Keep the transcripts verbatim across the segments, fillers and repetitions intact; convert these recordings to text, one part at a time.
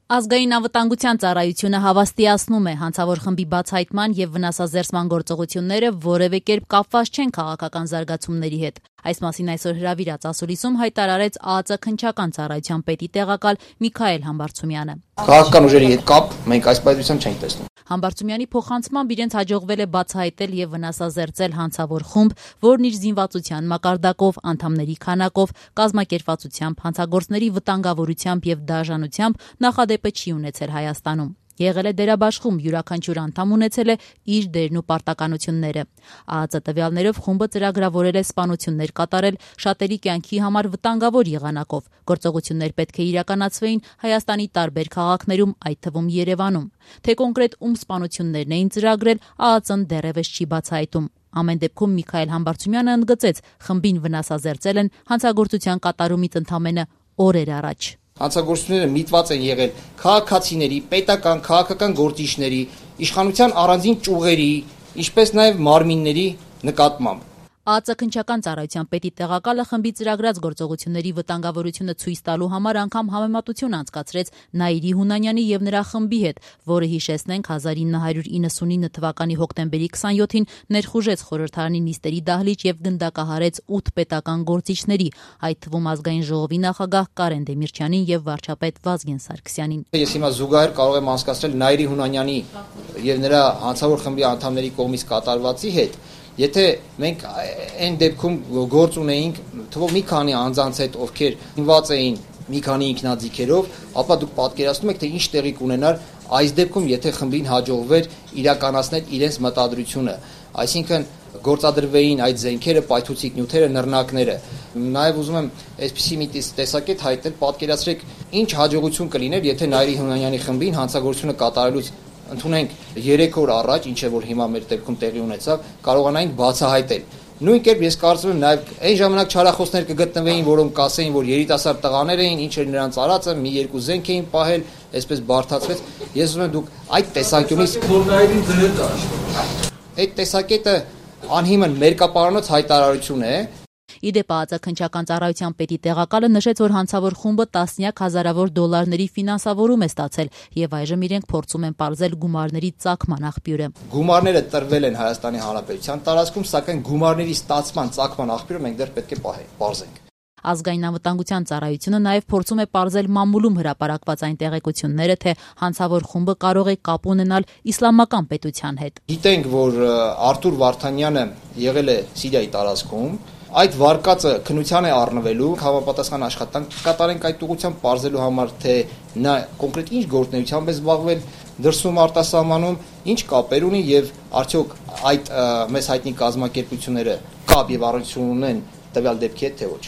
Ազգային անվտանգության ծառայությունը հավաստիացնում է հանցավոր խմբի բացահայտման եւ վնասազերծման գործողությունները որևէ կերպ կապված չեն քաղաքական զարգացումների հետ։ Այս մասին այսօր հրավիրած ասուլիսում հայտարարեց ԱԱԾ քննչական ծառայության պետի տեղակալ Միքայել Համբարձումյանը։ Քաղաքական ուժերի հետ կապ մենք այս պայծառությամբ չենք տեսնում։ Համբարձումյանի փոխանցմամբ իրենց հաջողվել է բացահայտել եւ վնասազերծել հանցավոր խումբ, որն իր զինվածության մակարդակով, անդամների քանակով, կազմակերպվածությամբ, հանցագործների վտանգավորությամբ եւ դաժանությամբ նախադեպը չի ունեցել Հայաստանում։ Եղել է դերաբաշխում, յուրաքանչյուր անդամ ունեցել է իր դերն ու պարտականությունները։ ԱԱԾ տվյալներով խումբը ծրագրավորել է սպանություններ կատարել շատերի կյանքի համար վտանգավոր եղանակով։ Գործողություններ պետք է իրականացվեին Հայաստանի տարբեր քաղաքներում, այդ թվում Երևանում։ Թե կոնկրետ ում սպանություններն էին ծրագրել, ԱԱԾ-ն դեռևս չի բացահայտում։ Ամեն դեպքում Միքայել Համբարձումյանը ընդգծեց, խմբին վնասազերծել են հանցագործության կատարումից ընդամենը օրեր առաջ։ Հանցագործությունները միտված են եղել քաղաքացիների, պետական, քաղաքական գործիչների, իշխանության առանձին ճյուղերի, ինչպես նաև մարմինների նկատմամբ։ ԱԱԾ քննչական ծառայության պետի տեղակալը խմբի ծրագրած գործողությունների վտանգավորությունը ցույց տալու համար անգամ համեմատություն անցկացրեց Նաիրի Հունանյանի եւ նրա խմբի հետ, որը հիշեցնենք հազար ինը հարյուր իննսունինը թվականի հոկտեմբերի քսանյոթին ներխուժեց խորհրդարանի նիստերի դահլիճ եւ գնդակահարեց ութ պետական գործիչների, այդ թվում ազգային ժողովի նախագահ Կարեն Դեմիրճյանին եւ վարչապետ Վազգեն Սարգսյանին։ Ես հիմա զուգահեռ կարող եմ անցկացնել Նաիրի Հունանյանի եւ նրա հանցավոր խմբի անդամների կողմից կատարվածի հետ։ Եթե մենք այն դեպքում գործ ունեինք թվով մի քանի անձանց հետ, ովքեր ինված էին մի քանի ինքնաձիգերով, ապա դուք պատկերացնում եք, թե ինչ տեղի կունենար այս դեպքում, եթե խմբին հաջողվեր իրականացնել իրենց մտադրությունը, այսինքն գործադրվեին այդ զենքերը, պայթուցիկ նյութերը, նռնակները։ Նաև ուզում եմ այսպիսի մի տեսակետ հայտնել, պատկերացրեք, ինչ հաջողություն կլիներ, եթե Նաիրի Հունանյանի խմբին հանցագործությունը կատարելուց ընդունենք երեք օր առաջ, ինչը որ հիմա մեր դեպքում տեղի ունեցավ, կարողանայինք բացահայտել։ Նույն կերպ ես կարծում եմ նաև այն ժամանակ չարախոսներ կգտնվեին, որոնք կասեին, որ երիտասարդ տղաներ էին, ինչ էր նրանց արածը, մի երկու զենք էին պահել, այսպես բարթացվեց։ Ես ուզում եմ դուք այդ տեսանկյունից այդ տեսակետը անհիմն մերկապարանոց հայտարարություն է։ Իդեպ ԱԱԾ քննչական ծառայության պետի տեղակալը նշեց, որ հանցավոր խումբը տասնյակ հազարավոր դոլարների ֆինանսավորում է ստացել եւ այժմ իրենք փորձում են պարզել գումարների ծագման աղբյուրը։ Գումարները տրվել են Հայաստանի Հանրապետության տարածքում, սակայն գումարների ստացման ծագման աղբյուրը մենք դեռ պետք է պարզենք։ Ազգային անվտանգության ծառայությունը նաև փորձում է պարզել մամուլում հրապարակված այն տեղեկությունները, թե հանցավոր խումբը կարող է կապ ունենալ իսլամական պետության հետ։ Գիտենք, որ Արթուր Վարդանյանը եղել է Սիրիայի տարածքում, այդ վարկածը քննության է առնվելու, համապատասխան աշխատանք կատարենք այդ ուղղությամբ պարզելու համար, թե նա կոնկրետ ինչ գործունեությամբ է զբաղվել դրսում արտասահմանում, ինչ կապեր ունի եւ արդյոք այդ մեզ հայտնի կազմակերպությունները կապ եւ առնչություն ունեն տվյալ դեպքի հետ, թե ոչ։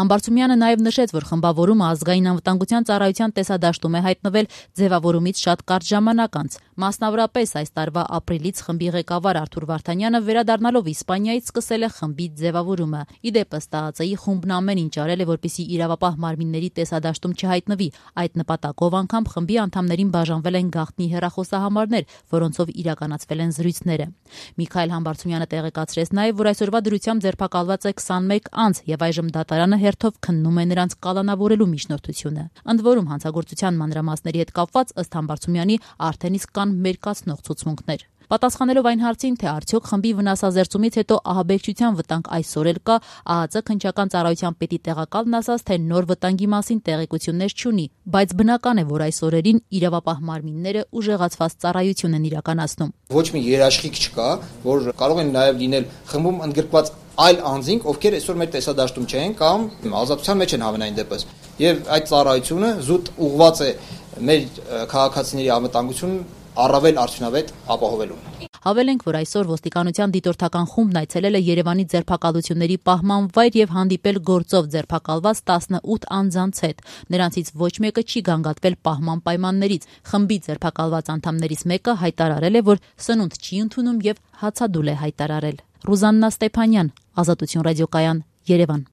Համբարձումյանը նաև նշեց, որ խմբավորումը ազգային անվտանգության ծառայության տեսադաշտում է հայտնվել ձևավորումից շատ կարճ ժամանակ անց։ Մասնավորապես այս տարվա ապրիլից խմբի ղեկավար Արթուր Վարդանյանը վերադառնալով Իսպանիայից սկսել է խմբի ձևավորումը։ Ի դեպ ըստ ԱԱԾ-ի խումբն ամեն ինչ արել է, որպեսզի իրավապահ մարմինների տեսադաշտում չհայտնվի։ Այդ նպատակով անգամ խմբի անդամներին բաժանվել են գաղտնի հեռախոսահամարներ, որոնցով իրականացվել են զրույցները։ Միքայել Համբարձումյանը տեղեկացրեց նաև, որ այսօրվա դրությամբ ձերբակալված է քսանմեկ անձ եւ այժմ դատարանը հերթով քննում է նրանց կալանավորելու միջնորդությունը։ Ընդ որում հանցագործության մանրամասների հետ կապված ըստ Համբարձումյանի արդեն իսկ կան մերկացնող ցուցմունքներ։ Պատասխանելով այն հարցին, թե արդյոք խմբի վնասազերծումից հետո ահաբեկչության վտանգ այսօր էլ կա, ԱԱԾ քննչական ծառայության պետի տեղակալն ասաց, թե նոր վտանգի մասին տեղեկություններ չունի, բայց բնական է, որ այս օրերին իրավապահ մարմինները ուժեղացված ծառայություն են իրականացնում։ Ոչ մի երաշխիք չկա, որ կարող են նաև լինել խմբում ընդգրկված այլ անձինք, ովքեր այսօր մեր տեսադաշտում չեն կամ ազատության մեջ են հավանային դեպս։ Եվ այդ ծառայությունը զուտ ուղղված է մեր քաղաքացիների անվտանգությունն առավել արդյունավետ ապահովելուն։ Հավելենք, որ այսօր ոստիկանության դիտորդական խումբն այցելել է Երևանի ձերբակալությունների պահման վայր եւ հանդիպել գործով ձերբակալված տասնութ անձանց հետ։ Նրանցից ոչ մեկը չի գանգատվել պահման պայմաններից։ Խմբի ձերբակալված անդամներից մեկը հայտարարել է, որ սնունդ չի ընդունում եւ հացադուլ է հայտարարել։ Ռուզաննա Ստեփանյան, Ազատություն ռադիոկայան, Երևան։